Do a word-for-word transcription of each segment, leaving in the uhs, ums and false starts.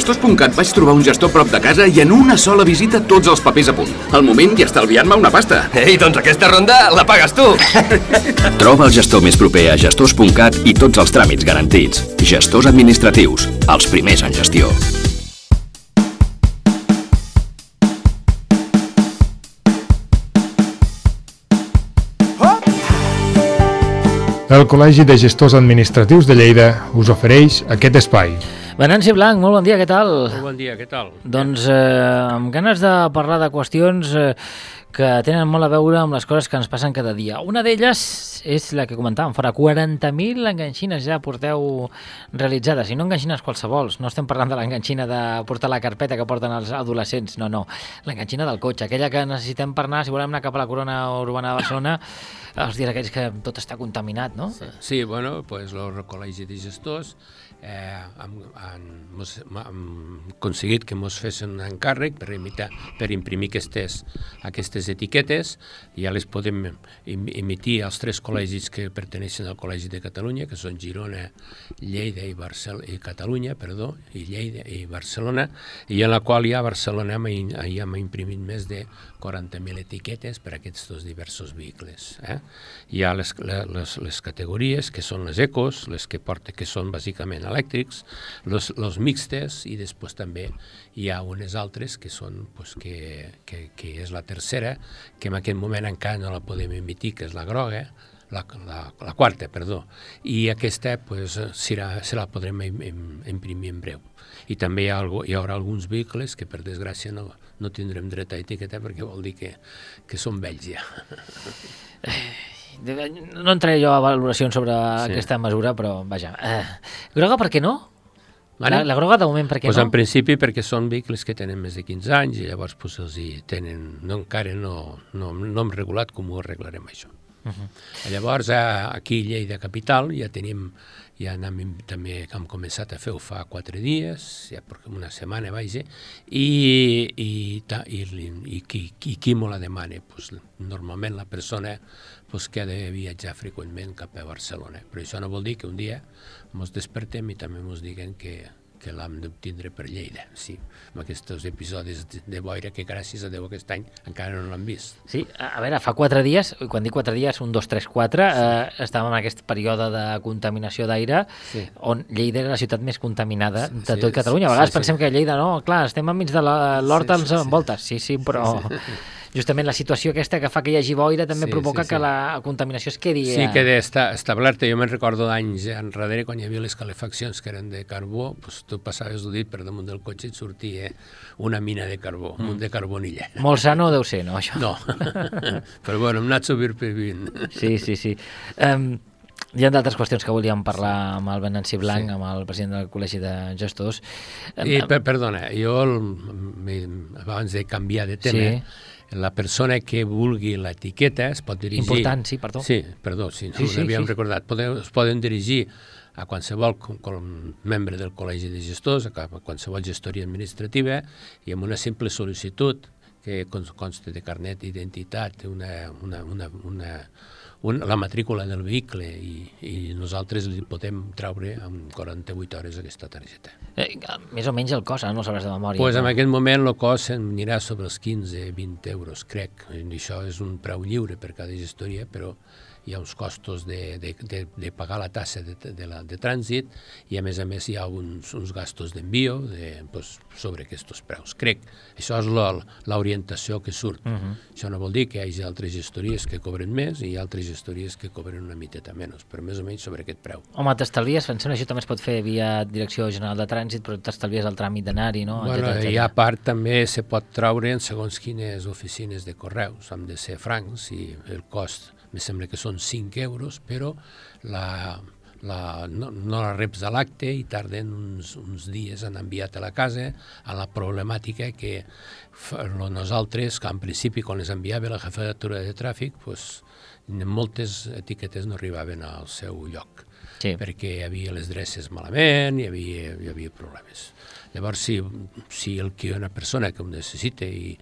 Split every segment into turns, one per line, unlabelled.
Gestors punt cat vaig trobar un gestor prop de casa i en una sola visita tots els papers a punt. Al moment i estalviant-me una pasta.
Ei, doncs aquesta ronda la pagues tu.
Troba el gestor més proper a gestors punt cat i tots els tràmits garantits. Gestors administratius, els primers en gestió.
El Col·legi de Gestors Administratius de Lleida us ofereix aquest espai.
Venanci Blanc, molt bon dia, què tal?
Molt bon dia, què tal?
Doncs eh, amb ganes de parlar de qüestions eh, que tenen molt a veure amb les coses que ens passen cada dia. Una d'elles és la que comentàvem fora, quaranta mil enganxines ja porteu realitzades, i no enganxines qualsevols, no estem parlant de l'enganxina de portar la carpeta que porten els adolescents, no, no, l'enganxina del cotxe, aquella que necessitem per anar, si volem anar cap a la corona urbana de Barcelona, els dies aquells que tot està contaminat, no?
Sí, sí bueno, pues el Col·legi de Gestors eh, hem, hem, hem aconseguit que ens fessin un encàrrec per, imitar, per imprimir aquestes, aquestes etiquetes, i ja les podem emitir als tres col·legis que perteneixen al Col·legi de Catalunya, que són Girona, Lleida i, Barcel i Catalunya, perdó, i Lleida i Barcelona, i en la qual ja a Barcelona ja hem imprimit més de quaranta mil etiquetes per a aquests dos diversos vehicles. Eh? Hi ha les, les, les categories, que són les ecos, les que porten, que són bàsicament elèctrics, los, los mixtes, i després també hi ha unes altres que són, pues, que, que, que és la tercera, que en aquest moment encara no la podem emitir, que és la groga, la, la, la quarta, perdó, i aquesta pues, serà, se la podrem imprimir en breu. I també hi, ha, hi haurà alguns vehicles que per desgràcia no, no tindrem dret a etiquetar, perquè vol dir que, que són vells ja.
No entraré jo a valoracions sobre sí. aquesta mesura, però vaja. Eh, groga per què no? La, la groga de moment per què
pues
no?
En principi perquè són vehicles que tenen més de quinze anys i llavors pues, els hi tenen, no, encara no, no, no hem regulat com ho arreglarem això. Uh-huh. Llavors aquí a Lleida Capital ja tenim, ja anem, també hem començat a fer-ho fa quatre dies, ja una setmana vaja, i, i, i, i, qui, i qui me la demana? Pues, normalment la persona pues, que ha de viatjar freqüentment cap a Barcelona, però això no vol dir que un dia ens despertem i també ens diguen que que l'hem d'obtindre per Lleida, sí, amb aquests episodis de boira que gràcies a Déu aquest any encara no l'han vist.
Sí, a veure, fa quatre dies, quan dic quatre dies, un, dos, tres, quatre, sí. eh, estàvem en aquest període de contaminació d'aire, sí. on Lleida era la ciutat més contaminada sí, de tot sí, Catalunya. A vegades sí, pensem sí. que Lleida, no, clar, estem enmig de l'hort sí, als sí, envoltes, sí, sí, però... Sí, sí. Justament la situació aquesta que fa que hi hagi boira també sí, provoca sí, sí. que la contaminació es quedi...
Sí, queda establerta. Jo me'n recordo d'anys enrere, quan hi havia les calefaccions que eren de carbó, doncs tu passaves el dit per damunt del cotxe i et sortia una mina de carbó, un munt de carbonilla.
Molt sano deu ser, no, això?
No, però bueno, hem anat sobrevivint.
Sí, sí, sí. Um, hi ha d'altres qüestions que volíem parlar amb el Venanci Blanc, sí. amb el president del Col·legi de Gestors.
I, per, perdona, jo el, abans de canviar de tema... Sí. La persona que vulgui l'etiqueta es pot dirigir...
Important, sí, perdó.
Sí, perdó, sí, no sí, sí, havíem sí. recordat. Podem, es poden dirigir a qualsevol com, com membre del Col·legi de Gestors, a qualsevol gestoria administrativa, i amb una simple sol·licitud que consta de carnet d'identitat, una, una, una, una, una, la matrícula del vehicle, i, i nosaltres li podem traure en quaranta-vuit hores aquesta targeta.
Eh, més o menys el cost, no el sabràs de memòria.
Pues en aquest moment el cost anirà sobre els quinze a vint euros, crec. I això és un preu lliure per cada gestoria, però hi ha uns costos de, de, de, de pagar la tassa de, de, la, de trànsit, i a més a més hi ha uns, uns gastos d'envio de, pues, sobre aquests preus. Crec, això és l'orientació que surt. Uh-huh. Això no vol dir que hi hagi altres gestories que cobren més i altres gestories que cobren una miteta menys, però més o menys sobre aquest preu.
Home, t'estalvies, pensem que això també es pot fer via Direcció General de Trànsit, però t'estalvies el tràmit d'anar-hi, no?
Bueno, etcètera, etcètera. I a part també se pot traure en segons quines oficines de correus, han de ser francs, i el cost me sembla que són cinc euros, però la, la, no, no la reps a l'acte i tarden uns, uns dies en enviar-te a la casa, a la problemàtica que nosaltres, que en principi quan les enviava la jefatura de tràfic, pues, moltes etiquetes no arribaven al seu lloc, sí. perquè hi havia les dreces malament, hi havia, hi havia problemes. Llavors, si, si el que una persona que ho necessita i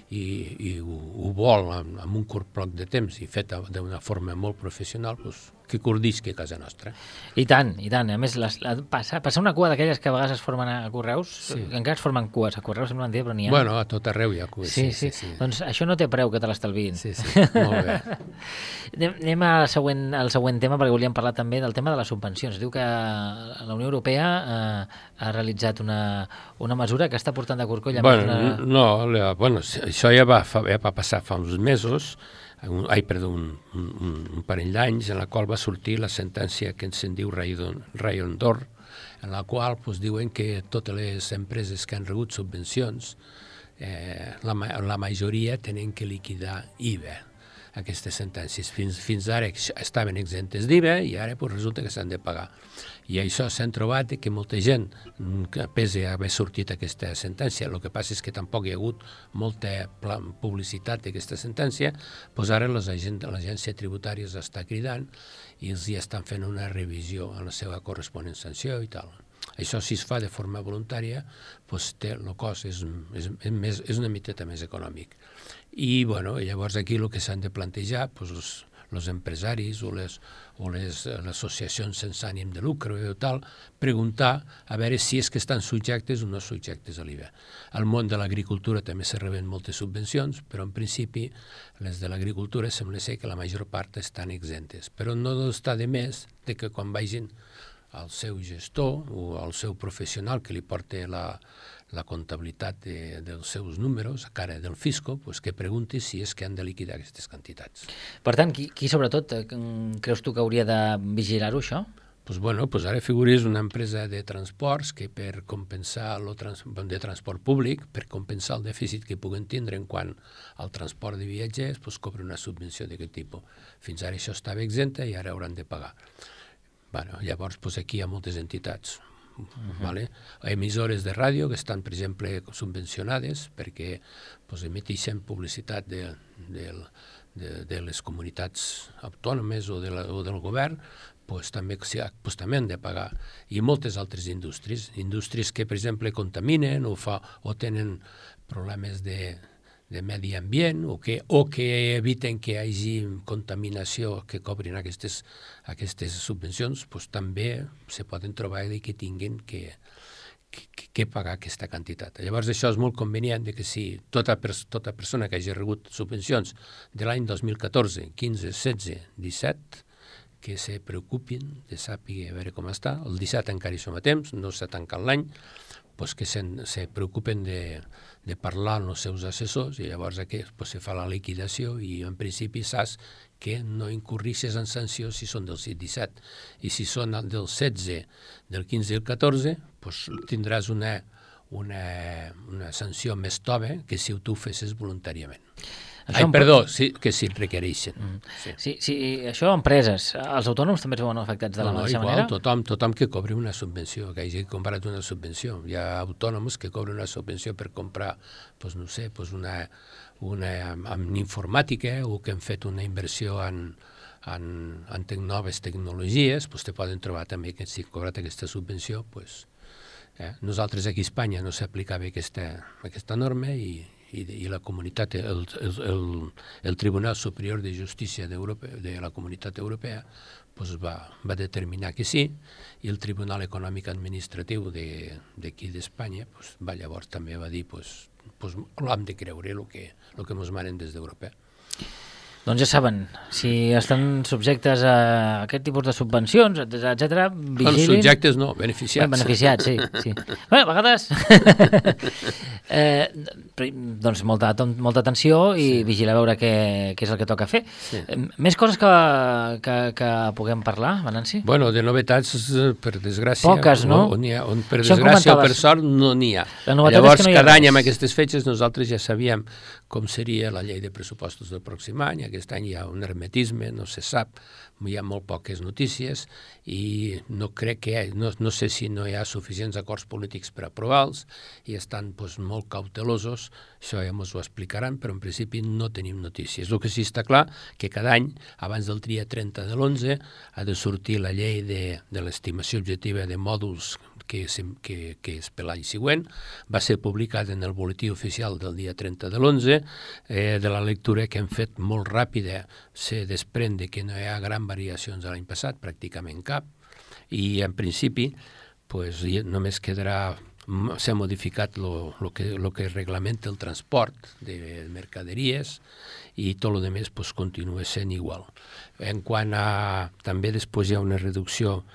i, i ho, ho vol amb, amb un curt bloc de temps i fet d'una forma molt professional, doncs que cordisqui a casa nostra.
I tant, i tant. A més, les, la, passar, passar una cua d'aquelles que a vegades es formen a Correus, sí. encara es formen cues a Correus, sembla mentida, però n'hi ha.
Bueno, a tot arreu hi ha cues.
Sí, sí, sí, sí. Doncs això no té preu que te l'estalviïn.
Sí, sí, molt bé.
Anem al següent, al següent tema, perquè volíem parlar també del tema de les subvencions. Diu que la Unió Europea eh, ha realitzat una, una mesura que està portant de corcoll.
Bueno,
una...
no, la, bueno, això ja va, fa, ja va passar fa uns mesos, un, ai, perdó, un, un, un parell d'anys, en la qual va sortir la sentència que se'n diu Rayon d'Or, en la qual pues, diuen que totes les empreses que han rebut subvencions, eh, la, la majoria tenen que liquidar I V A. Aquestes sentències. Fins, fins ara estaven exemptes d'I V A i ara pues, resulta que s'han de pagar. I això s'han trobat que molta gent, que pese a haver sortit aquesta sentència, el que passa és que tampoc hi ha hagut molta publicitat d'aquesta sentència, doncs ara l'agència tributària està cridant i els hi estan fent una revisió en la seva corresponent sanció i tal. Això, si es fa de forma voluntària, doncs té, el cost és, és, és, més, és una miteta més econòmic. I bueno, llavors aquí el que s'han de plantejar, doncs, els, els empresaris o les, o les, les associacions sense ànim de lucre o tal, preguntar a veure si és que estan subjectes o no subjectes a l'I V A. Al món de l'agricultura també se reben moltes subvencions, però en principi les de l'agricultura sembla ser que la major part estan exemptes. Però no està de més de que quan vagin al seu gestor o al seu professional que li porta la, la comptabilitat de, dels seus números a cara del fisco, pues que pregunti si és que han de liquidar aquestes quantitats.
Per tant, qui, qui sobretot creus tu que hauria de vigilar-ho, això?
Pues bueno, pues ara figuris una empresa de transports que per compensar el trans, de transport públic, per compensar el dèficit que puguen tindre en quant al transport de viatgers, pues cobra una subvenció d'aquest tipus. Fins ara això estava exempta i ara hauran de pagar. Bueno, llavors, pues aquí hi ha moltes entitats. Uh-huh. Vale? Emissores de ràdio que estan, per exemple, subvencionades perquè pues, emetixen publicitat de, de, de, de les comunitats autònomes o, de la, o del govern, pues, també, pues, també han de pagar. I moltes altres indústries, indústries que, per exemple, contaminen o, fa, o tenen problemes de, de medi ambient o que, o que eviten que hi hagi contaminació que cobrin aquestes, aquestes subvencions, pues, també se poden trobar que tinguin que, que, que pagar aquesta quantitat. Llavors això és molt convenient de que si tota, tota persona que hagi rebut subvencions de l'any dos mil catorze, quinze, setze, disset, que se preocupin de sàpiga a veure com està. El disset encara hi som a temps, no s'ha tancat l'any, pues que se, se preocupen de, de parlar amb els seus assessors i llavors aquí pues, se fa la liquidació i en principi saps que no incurrixes en sancions si són del disset i si són del setze, del quinze i el catorze, pues, tindràs una, una, una sanció més tova que si tu ho fessis voluntàriament. Ai, perdó, sí, que si requereixen. Mm. Sí.
Sí, sí, això empreses. Els autònoms també es veuen afectats de la no, mateixa
igual,
manera?
Tothom, tothom que cobri una subvenció, que hagi comprat una subvenció. Hi ha autònoms que cobren una subvenció per comprar, pues, no sé, pues una, una en informàtica o que han fet una inversió en, en, en te noves tecnologies, pues, te poden trobar també que si han cobrat aquesta subvenció, pues, eh? Nosaltres aquí a Espanya no s'aplicava aquesta, aquesta norma i I, i la comunitat, el, el, el Tribunal Superior de Justícia de la Comunitat Europea pues va, va determinar que sí i el Tribunal Econòmic Administratiu d'aquí d'Espanya pues, va llavors també va dir pues, pues, hem de creure el que, el que ens manen des d'Europa.
Doncs ja saben, si estan subjectes a aquest tipus de subvencions, etcètera, vigilin...
Bueno, subjectes no, beneficiats.
Bé, beneficiats, sí. sí. Bé, a vegades... eh, doncs molta, molta atenció i sí. Vigilar a veure què, què és el que toca fer. Sí. Més coses que, que, que puguem parlar, Venanci?
Bueno, de novetats, per desgràcia...
Poques, no?
On ha, on per Això desgràcia o per sort no n'hi ha. Llavors, no cada any amb aquestes fetges nosaltres ja sabíem com seria la llei de pressupostos del pròxim any. Aquest any hi ha un hermetisme, no se sap, hi ha molt poques notícies i no crec que hi ha, no, no sé si no hi ha suficients acords polítics per aprovar-los i estan pues, molt cautelosos, això ja ens ho explicaran, però en principi no tenim notícies. El que sí està clar que cada any, abans del dia trenta de l'onze, ha de sortir la llei de, de l'estimació objectiva de mòduls que, que, que és per l'any següent. Va ser publicat en el boletí oficial del dia trenta de l'onze. Eh, de la lectura que hem fet molt ràpida se desprèn de que no hi ha gran variacions de l'any passat, pràcticament cap, i en principi pues, només quedarà s'ha modificat lo, lo, que, lo que reglamenta el transport de mercaderies i tot el demés pues, continua sent igual. En quant a... També després hi ha una reducció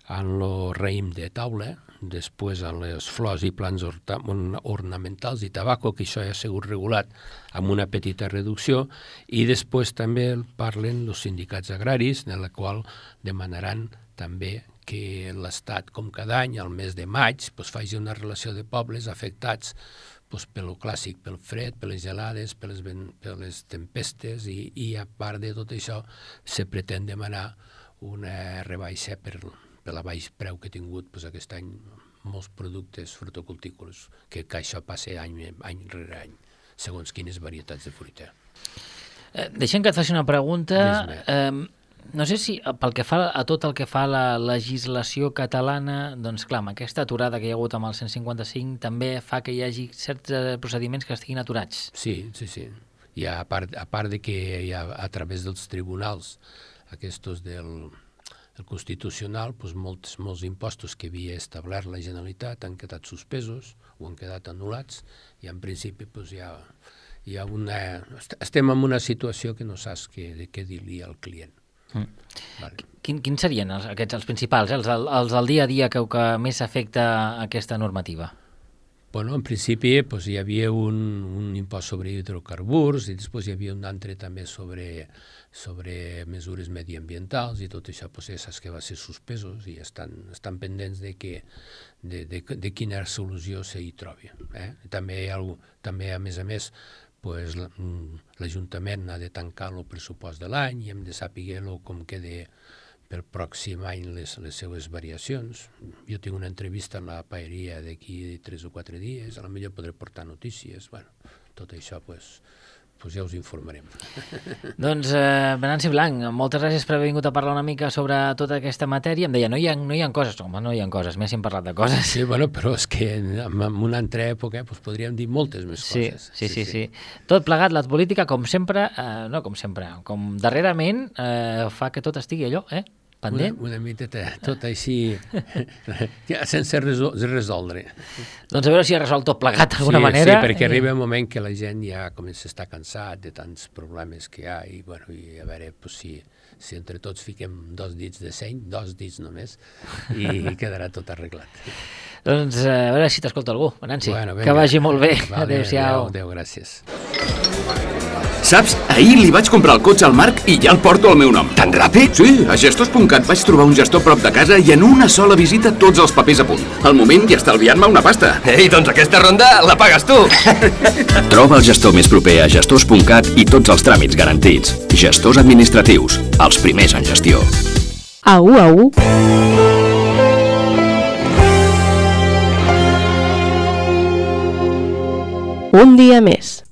en el raïm de taula, després en les flors i plants ornamentals i tabaco, que això ja ha sigut regulat amb una petita reducció, i després també parlen els sindicats agraris, en la qual demanaran també que l'Estat, com cada any, al mes de maig, pues, faci una relació de pobles afectats pues, pel clàssic, pel fred, per les gelades, per les, per les tempestes, i, i a part de tot això se pretén demanar una rebaixa per, per la baix preu que ha tingut pues, aquest any molts productes frutocultícoles, que, que això passa any, any rere any, segons quines varietats de fruita.
Eh, deixem que et faci una pregunta. Eh, no sé si pel que fa a tot el que fa a la legislació catalana, doncs clar, amb aquesta aturada que hi ha hagut amb el cent cinquanta-cinc també fa que hi hagi certs procediments que estiguin aturats.
Sí, sí, sí. I a part, a part de que hi ha, a través dels tribunals aquests del el Constitucional, doncs molts, molts impostos que havia establert la Generalitat han quedat suspesos o han quedat anul·lats, i en principi doncs, hi ha, hi ha una... estem en una situació que no saps què, què dir-li al client. Mm. Vale.
Quin, quins serien els, aquests els principals, eh? els, els del dia a dia que, que més afecta aquesta normativa?
Bueno, en principi pues, hi havia un, un impost sobre hidrocarburs i després hi havia un altre també sobre, sobre mesures mediambientals, i tot això pues, ja saps que va ser suspesos i estan, estan pendents de, que, de, de, de quina solució s'hi trobi. Eh? També, hi ha, també, a més a més, pues, l'Ajuntament ha de tancar el pressupost de l'any i hem de saber com queda pel pròxim any les, les seues variacions. Jo tinc una entrevista en la paeria d'aquí tres o quatre dies, a la millor podré portar notícies. Bueno, tot això pues, pues ja us informarem.
Doncs, eh, Venanci Blanc, moltes gràcies per haver vingut a parlar una mica sobre tota aquesta matèria. Em deia, no hi ha, no hi ha coses, home, no hi ha coses, més hem parlat de coses.
Sí, bueno, però és que en, en una altra època pues, podríem dir moltes més
sí,
coses.
Sí, sí, sí, sí. Tot plegat, la política, com sempre, eh, no com sempre, com darrerament, eh, fa que tot estigui allò, eh? Pendent?
Una, una miteta, tot així, sense resol resoldre.
Doncs a veure si ha resolt tot plegat d'alguna
sí,
manera.
Sí, perquè arriba un moment que la gent ja comença a estar cansat de tants problemes que hi ha, i, bueno, i a veure pues, si, si entre tots fiquem dos dits de seny, dos dits només, i quedarà tot arreglat.
Doncs a veure si t'escolta algú, Venanci,
bueno,
que vagi molt bé.
Vale,
adéu-siau.
Adéu, adéu, gràcies.
Saps? Ahir li vaig comprar el cotxe al Marc i ja el porto al meu nom.
Tan ràpid?
Sí, a gestors punt cat vaig trobar un gestor prop de casa i en una sola visita tots els papers a punt. Al moment i estalviant-me una pasta.
Ei, doncs aquesta ronda la pagues tu!
Troba el gestor més proper a gestors punt cat i tots els tràmits garantits. Gestors administratius, els primers en gestió.
Au, au. Un dia més.